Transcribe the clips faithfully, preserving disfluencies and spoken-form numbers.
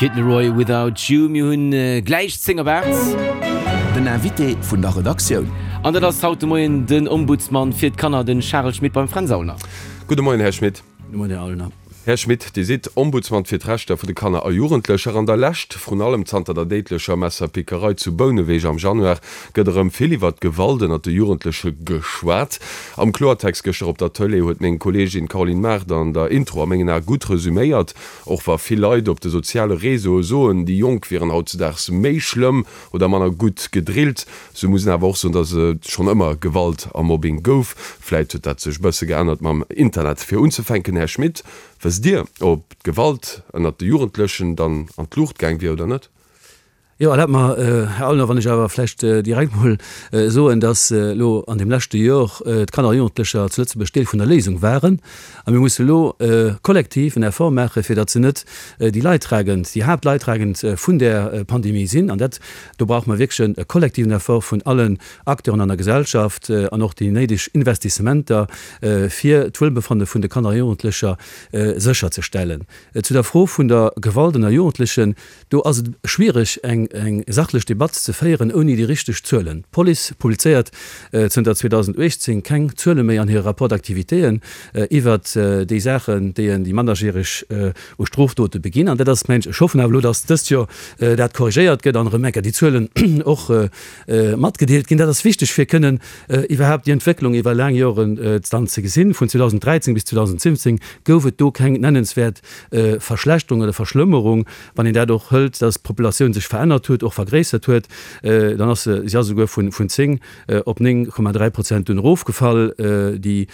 Kid Laroi, Without You. Mir hunn gläich zéng op aacht. Den Invité vun der Redaktioun. An dat ass haut de Moien den Ombudsman fir d'Kanner, den Charel Schmit beim Fränz Aulner. Gudde Moien, Här Schmit. Gudde Moien, Här Aulner. Här Schmit, Dir sidd Ombudsman fir d'Rechter vu de Kanner a Jugendlecher. An der Lescht, vrun allem zanter der déidlecher Messerpickerei zu Bouneweg am Januar, gëtt erëm vill iwwert d'Gewalt ënnert de Jugendleche geschwat. Am Kloertext gëschter op der Tëlee huet meng Kolleegin Caroline Mart an der Intro a mengen Ae gutt resuméiert, Och wa vill Leit op de soziale Réseaue soen, déi Jonk wieren hautzedaags méi schlëmm oder manner gutt gedrillt, sou muss een awer och soen, datt et schonn ëmmer Gewalt a Mobbing gouf. Vläit huet dat sech e bësse geännert mam Internet. Fir unzefänken, Här Schmit, wësst Dir, ob d'Gewalt ënnert de Jugendlechen dann an d'Luucht gaang wier oder net? Jo, erlaabt mer, Här Aulner, wann ech awer vläicht direkt mol soen, dass elo an deem leschte Jor d'Kanner a Jugendlecher zu Lëtzebuerg Deel vun der Léisung waren. A mir musse elo kollektiv en Effort maachen, fir datt se net déi Leidtragend, déi Haaptleidtragend vun där Pandemie sinn. An dat, do brauche mer wierklech e kollektiven Effort vun allen Acteuren an der Gesellschaft an och déi néideg Investissementer, fir d'Wuelbefanne vun de Kanner a Jugendlecher sécherzestellen. Zu der Fro vun der Gewalt ënner Jugendlechen, Do ass et schwiereg, eng sachlech Debatt ze féieren ouni déi richteg Zuelen. D'Police publizéiert zënter zweedausenduechtzéng keng Zuele méi an hire Rapport d'activitéen iwwert déi Saachen, déi déi Mannerjäreg u Strofdote beginn. An dat ass, mengen ech, ech hoffen awer elo, datt dëst Joer dat korrigéiert gëtt an erëm eng Kéier déi Zuelen och matgedeelt ginn. Dat ass wichteg, fir kënnen iwwerhaapt déi Entwécklung iwwer laang Joren dann ze gesinn. Vun zweedausenddräizéng bis zweedausensiwwenzéng gouf et do keng nennenswäert Verschlechterung oder Verschlëmmerung. Wann een dat och hëlt, dass d'Populatioun sech verännert huet, och vergréissert huet, dann ass se, si ass esouguer vun vun zéng op néng Komma dräi Prozent dunn erofgefall, déi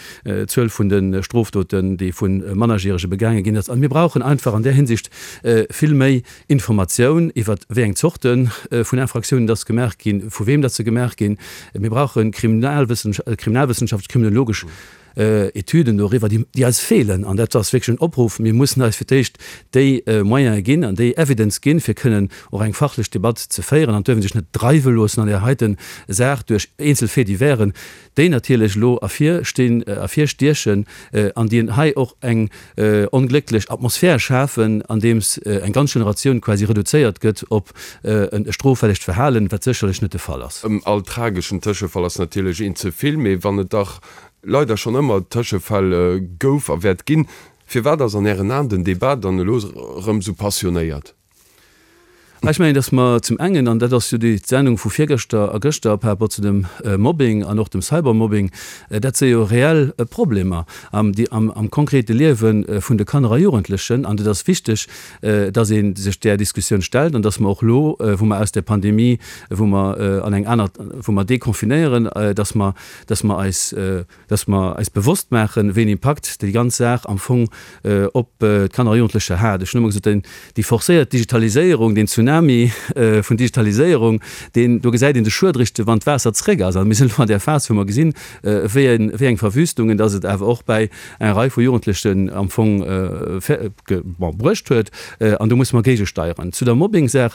Zuel vun de Strofdoten, déi vu Mannerjärege begaange ginn ass. A mir brauchen einfach an där Hinsicht vill méi Informatioun iwwer wéi eng Zorte vun Infraktiounen dass gemaach ginn, vu weem dass se gemaach ginn. Mir brauche kriminalwëssenschaftlech, kriminologesch Etüden doriwwer, déi eis feelen. An dat ass wierklech en Opruff, Mir mussen eis fir d'éischt déi Moyene ginn an déi Evidence ginn, fir kënnen och eng fachlech Debatt ze féieren an duerfen sech net dreiwe loossen an där heite Saach duerch eenzel Faits-diversen, déi natierlech elo ervirstinn, ervirstiechen an déi hei och eng onglécklech Atmosphär schafen, andeems eng ganz Generatioun quasi reduzéiert gëtt op e stroffällegt Verhalen, wat sécherlech net de Fall ass. All trageschen Tëschefall ass natierlech een ze vill, mee wann et dach leider schonn ëmmer Tëschefäll gouf a wäert ginn. Firwat ass an Ären Aen den Debat dann elo erëm esou passionéiert? Ech mengen, datt mer zum engen, an dat ass jo déi Sendung vu virgëschter a gëschter par rapport zu dem Mobbing an och dem Cybermobbing, dat si jo reell Problemer am, am konkrete Liewe vun de Kanner a Jugendlechen. An et ass wichteg, datt ee sech där Diskussioun stellt an datt mer och elo, wou mer aus der Pandemie, wou mer an eng aner, wou mer deconfinéieren, datt mer, dass mer eis, dass mer eis bewosst maachen, wéi en Impakt déi ganz Saach am Fong op d'Kanner a Jugendlecher hat. Ech hunn ëmmer gesot, den, déi forcéiert Digitaliséierung, deen Tsunami vun Digitaliséierung, deen, do gesäit een de Schued eréischt, wann d'Waasser zréck ass. A mir sinn elo an där Phas, wou mer gesinn, wéi eng, wéi eng Verwüstungen dass et awer och bäi enger Rei vu Jugendlechen am Fong bon, bruecht huet. An do musse mer géigesteieren. Zu der Mobbing-Saach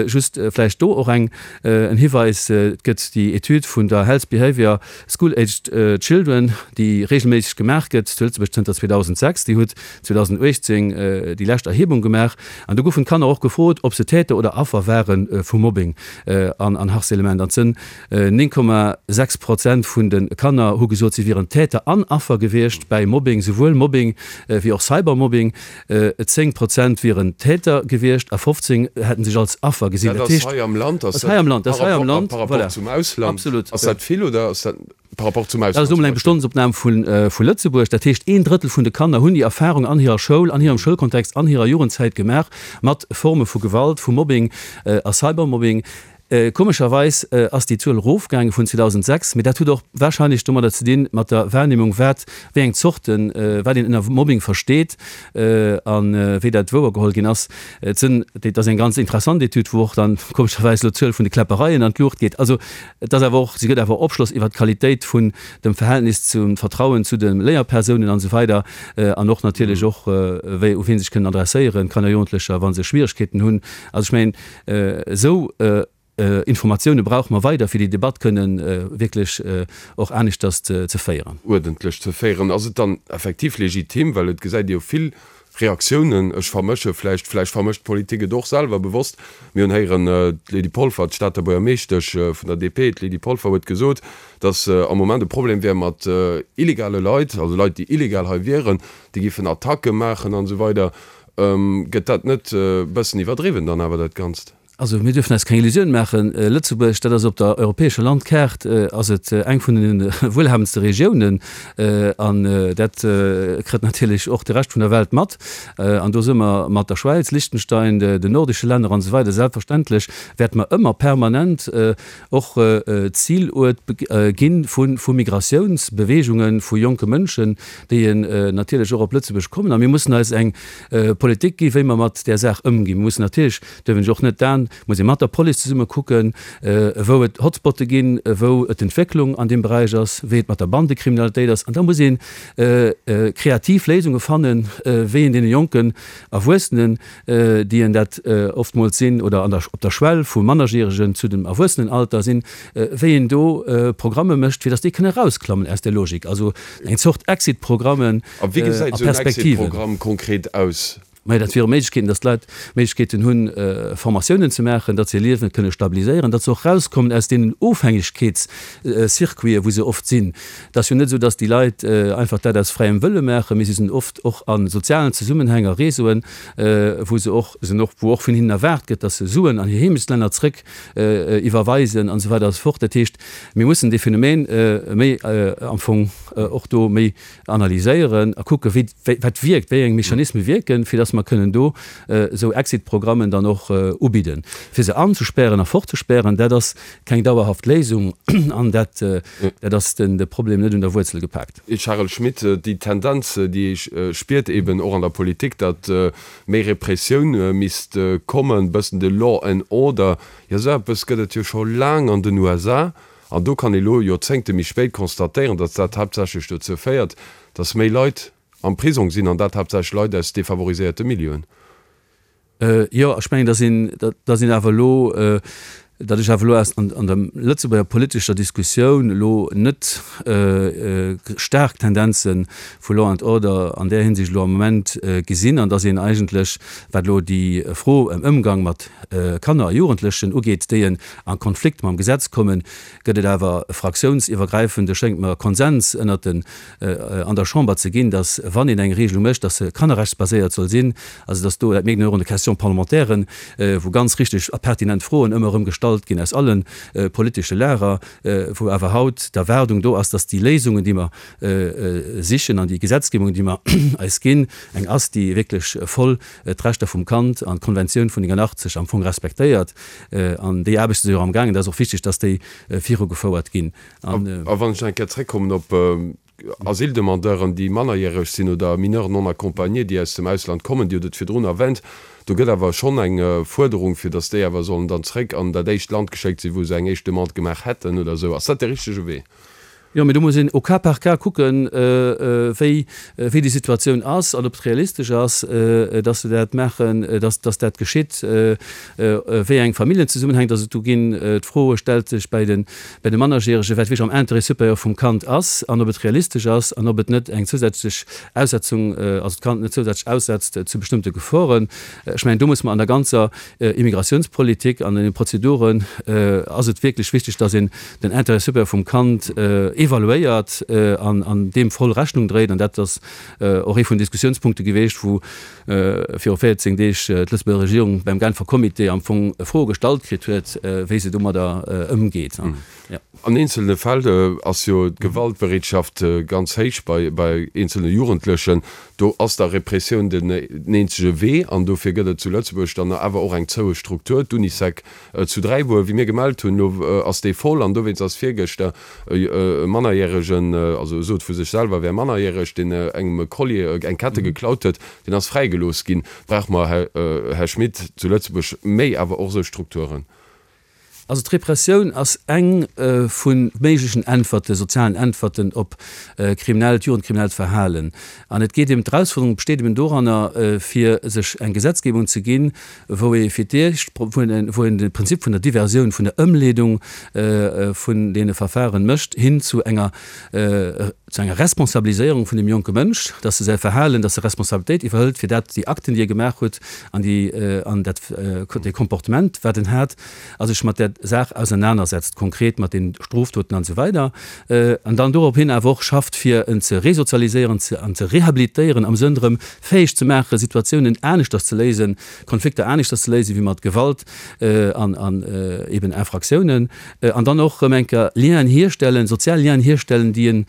just vläicht do och eng, en Hiweis, Et gëtt déi Etüd vun der Health Behavior School-Aged Children, déi regelméisseg gemaach gëtt zu Lëtzebuerg zënter zweedausendsechs. Déi huet zweedausenduechtzéng déi lescht Erhebung gemaach an do goufen d'Kanner och gefrot, ob se Täter oder Affer ware vu Mobbing an Harcèlement. An et sënn néng Komma sechs Prozent vun de Kanner hu gesot, si wieren Täter an Affer gewiescht bäi Mobbing, souwuel Mobbing wéi och Cybermobbing. Zéng Prozent wieren Täter gewiescht a fofzéng hätten sech als Affer gesinn. Dat ass hei am Land, ass dat par rapport, par rapport zum Ausland? Absolut. Ass dat vill oder ass dat par rapport zum Dat ass Ausland elo zum mol eng Beispill? Bestandsopnam vu Lëtzebuerg. Dat heescht, een Drëttel vun de Kanner hunn déi Erfarung an hirer Schoul, an hirem Schoulkontext, an hirer Jugendzäit gemaach mat Forme vu Gewalt, vu Mobbing a Cybermobbing. Komescherweis ass déi Zuel erofgaange vun zweedausendsechs, mee dat huet och warscheinlech domadder ze dinn, mat der Wahrnehmung, wat, wéi eng Zorten, wat een ënner Mobbing versteet a wéi dat wouergeholl ginn ass. Et sënn, dat ass eng ganz interessant Etüd, wou och dann komescherweis elo d'Zuel vun de Kläppereien an d'Luucht geet. Also et ass awer och, si gëtt awer Opschloss iwwert d'Qualitéit vun dem Verhältnis zum Vertrauen zu de Léierpersounen an esou weider an och natierlech och, wéi, u wien sech kënnen adresséieren, Kanner, Jugendlecher, wa se Schwieregkeeten hunn. Also ech mengen, esou Informatioune brauche mer weider, fir déi Debatt kënnen wierklech och aneschters ze féieren. Uerdentlech ze féieren. Ass et dann effektiv legitim, well et gesäit ee jo vill Reaktiounen, ech vermësche vläicht, vläicht vermëscht d'Politik et och selwer bewosst, mir hunn héieren, d'Lydie Polfer, d'Stater Buergermeeschtesch vun der D P, d'Lydie Polfer huet gesot, datt am Moment e Problem wär mat illegale Leit, also Leit, déi illegal hei wieren, déi géifen Attacke maachen an esou weider. Gëtt dat net e bëssen iwwerdriwwen dann awer dat Ganzt? Also mir dürfen eis keng Illusioun maachen, Lëtzebuerg, dat ass op der europäescher Landkaart ass et eng vun de wuelhabendste Regiounen an dat kritt natierlech och de Rescht vun der Welt mat. An do si mer mat der Schwäiz, Liechtenstein, den nordesche Länner an esou weider selbstverständlech wäerte mer ëmmer permanent och Ziluert gi vu Migratiounsbeweegungen, vu jonke Mënschen, déi natierlech och op Lëtzebuerg kommen. A mir mussen eis eng Politik gi wéi mer mat där Saach ëmginn. Mir mussen natierlech, duerf ech och net d'Aen, muss ee mat der Police zesumme kucken, wou et Hotspotte ginn, wou et Entwécklung an deem Beräich ass, wéi et mat der Bandekriminalitéit ass. An da muss ee kreativ Léisunge fannen, wéi een deene jonken Erwuessenen, déi en dat oftmools sinn oder an der, op der Schwell vum Mannerjäregen zu dem Erwuessenenalter sinn, wéi een do Programme mécht, fir datt déi kënne erausklammen aus där Logik. Also eng Zort Exit-Programmen A wéi a gesäit esou en Perspektiven. Exit-Programm konkret aus? Majo, dat wiere Méiglechkeeten, datt d'Leit Méiglechkeeten hunn, Formatiounen ze maachen, datt se hir Liewen kënne stabiliséieren, datt se och erauskommen aus deenen Ofhängegkeetscircuiten, wou se oft sinn. Et ass jo net esou, datt déi Leit einfach dat aus fräiem Wëlle maachen, mee si sinn oft och a sozialen Zesummenhäng, a Réseauen, wou se och sinn, och wou och vun hinnen erwaart gëtt, datt se Suen an hir Heemechtslänner zrëck iwwerweisen an esou weider a sou fort. Dat heescht, mir mussen dee Phänomen méi am Fong och do méi analyséieren a kucken, wéi, wat wierkt, wéi eng Mechanisme wierken, fir dass mer kënnen do esou Exit-Programmen dann och ubidden. Fir se anzespären a fortzespären, dat ass keng dauerhaft Léisung an dat, dat ass den, de Problem net un der Wuerzel gepaakt. Charel Schmit, Déi Tendenz, déi ee spiert eben och an der Politik, datt méi Repressioun misst kommen, bëssen de Law and Order, jo esou eppes gëtt et jo scho laang an den U S A. An do kann ee lo Joerzéngte méi spéit constatéieren, datt dat haaptsächlech dozou féiert, datt méi Leit am Prisong sinn, an dat haaptsächlech Leit aus defavoriséierte Milieuen. Jo, ech mengen, datt een, datt een awer elo, datt ech awer elo aus an an der Lëtzebuerger politescher Diskussioun elo net staark Tendenze vu Law and Order an där Hinsicht elo am Moment gesinn an datt een eigentlech, wat elo déi Fro ëm Ëmgang mat Kanner a Jugendlechen ugeet, déi en a Konflikt mam Gesetz kommen, gëtt et awer e fraktiounsiwwergräifende, schéngt mer, Konsens ënnert den, an der Chamber ze ginn, dass, wann een eng Regelung mécht, dass se kannerrechtsbaséiert soll sinn, also dass do, dat mierkt een och an de Question-parlementairen, wou ganz richtig a pertinent Froen ëmmer erëm gestallt ginn aus alle politesche Lager, wou awer haut d'Erwaardung do ass, dass déi Léisungen, déi mer sichen an déi Gesetzgebung, déi mer eis ginn, eng ass, déi wierklech voll d'Rechter vum Kand an d'Konventioun vun neunundachtzeg am Fong respektéiert. An déi Aarbechte si jo och amgaangen. Dat ass och wichteg, dass déi virugefouert ginn. A wann ech nach eng Kéier zréckkommen op Asyldemandeuren, déi mannerjäreg sinn, oder Mineurs non accompagnés, déi aus dem Ausland kommen, Dir hutt et virdrun erwänt, do gëtt awer schonn eng Fuerderung, fir datt déi awer sollen dann zréck an dat éischt Land geschéckt sinn, wou se eng éischt Demande gemaach hätten oder esou. Ass dat de richtege Wee? Jo, mee do muss een au cas par cas kucken, wéi wéi déi Situatioun ass an ob et realistesch ass, dass se dat maachen, dass dass dat geschitt, wéi eng Familljenzesummenhäng dass et do ginn. D'Fro stellt sech bei de bei de Mannerjäregen, wat wierklech am Intérêt supérieur vum Kand ass an ob et realistesch ass an ob et net eng zousätzlech Aussetzung, also d'Kand net zousätzlech aussetzt zu bestëmmte Geforen. Ech mengen, do muss mer an der ganzer Immigrationspolitik an den Prozeduren ass et wierklech wichteg, dass een den Intérêt supérieur vum Kand evaluéiert an an deem voll Rechnung dréit. An dat ass och ee vun den Diskussiounspunkte geweecht, wou viru véierzéng Deeg d'Lëtzebuerger Regierung beim Genfer Comité am Fong Froe gestallt kritt huet, wéi se domadder ëmgeet. An eenzelne Fäll ass jo d'Gewaltbereetschaft ganz héich bei bei eenzelne Jugendlechen. Do ass da Repressioun den eenzege Wee an dofir gëtt et zu Lëtzebuerg dann awer och eng zoue Struktur, d'Unisec zu Dräibuer. Wéi mir gemellt hunn, elo ass déi voll an dowéinst ass virgëschter e Mannerjäregen, also e sot vu sech selwer, e wär mannerjäreg, deen engem e Collier, eng Kette geklaut huet, deen ass fräigelooss ginn. Brauche mer, Här Schmit, zu Lëtzebuerg méi awer och esou Strukturen? Also d'Repressioun ass eng vu méiglechen Äntwerten, sozialen Äntwerten op kriminellt, jugendkriminellt Verhalen. An et geet eben, d'Erausfuerderung besteet eben doranner, fir sech eng Gesetzgebung ze ginn, wou ee fir d'éischt, wou een de Prinzip vun der Diversioun, vun der Ëmleedung vun deene Verfahren mécht, hin zu enger, zu enger Responsabiliséierung vun dem jonke Mënsch, dass e säi Verhalen, dass e Responsabilitéit iwwerhëlt fir dat, déi Akten, déi e gemaach huet an déi, an dat, dee Comportement, wat en hat, a sech mat där Saach ausernanersetzt, konkret mat den Strofdoten an esou weider, an dann dorop hin awer och schafft, fir en ze resozialiséieren ze an ze rehabilitéieren, am Sënn erëm fäeg ze maachen, Situatiounen aneschters ze léisen, Konflikter aneschters ze léisen, wéi mat Gewalt an an eben Infraktiounen, an dann och erëm eng Kéier Lienen hierstellen, sozial Lienen hierstellen, déi en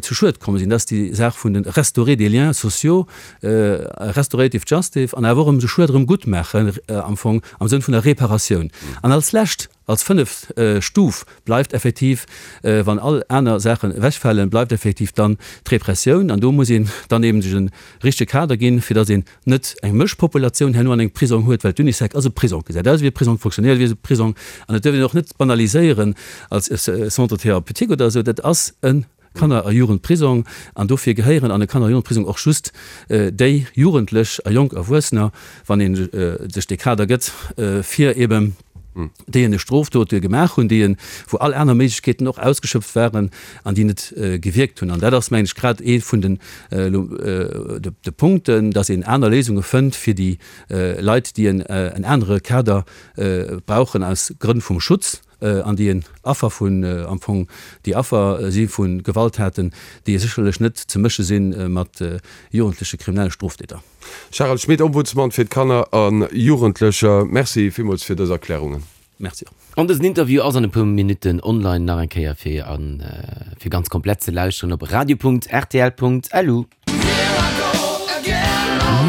zu Schued komm sinn. Dat ass déi Saach vun de restaurer des liens sociaux, restorative justice, an awer och erëm de Schued erëm guttmaachen am Fong am Sënn vun der Reparatioun. An als lescht, als fënneft Stuf bleift effektiv, wann all aner Saachen ewechfalen, bleift effektiv dann d'Repressioun. An do muss een dann eben sech e richtege Kader ginn, fir datt een net eng Mëschpopulatioun herno an engem Prisong huet, well d'Unisec ass e Prisong, gesäit aus wéi e Prisong, fonctionnéiert wéi e Prisong an et duerf een och net banaliséieren als Centre thérapeutique oder esou. Dat ass e Kanner a Jugendprisong an dofir gehéieren an e Kanner a Jugendprisong och just déi Jugendlech a jonk Erwuessener, wann ee sech dee Kader gëtt, fir eben déi en Strofdot gemaach hunn, déi en, wou all aner Méiglechkeeten och ausgeschöpft waren an déi net gewierkt hunn. An dat ass, mengen ech, grad ee vun den, de Punkten, dass een aner Léisunge fënnt fir déi Leit, déi en en anere Kader brauchen aus Grënn vum Schutz an déi en Affer vun, am Fong déi Affer si vu Gewalttaten, déi sécherlech net ze mësche si mat jugendleche kriminelle Stroftäter. Charel Schmit, Ombudsman fir d'Kanner a Jugendlecher, Merci villmools fir dës Erklärungen. Merci och. An dësen Interview ass an e puer Minutten online nach eng Kéier fir an fir ganz komplett ze lauschteren op radio.rtl.lu.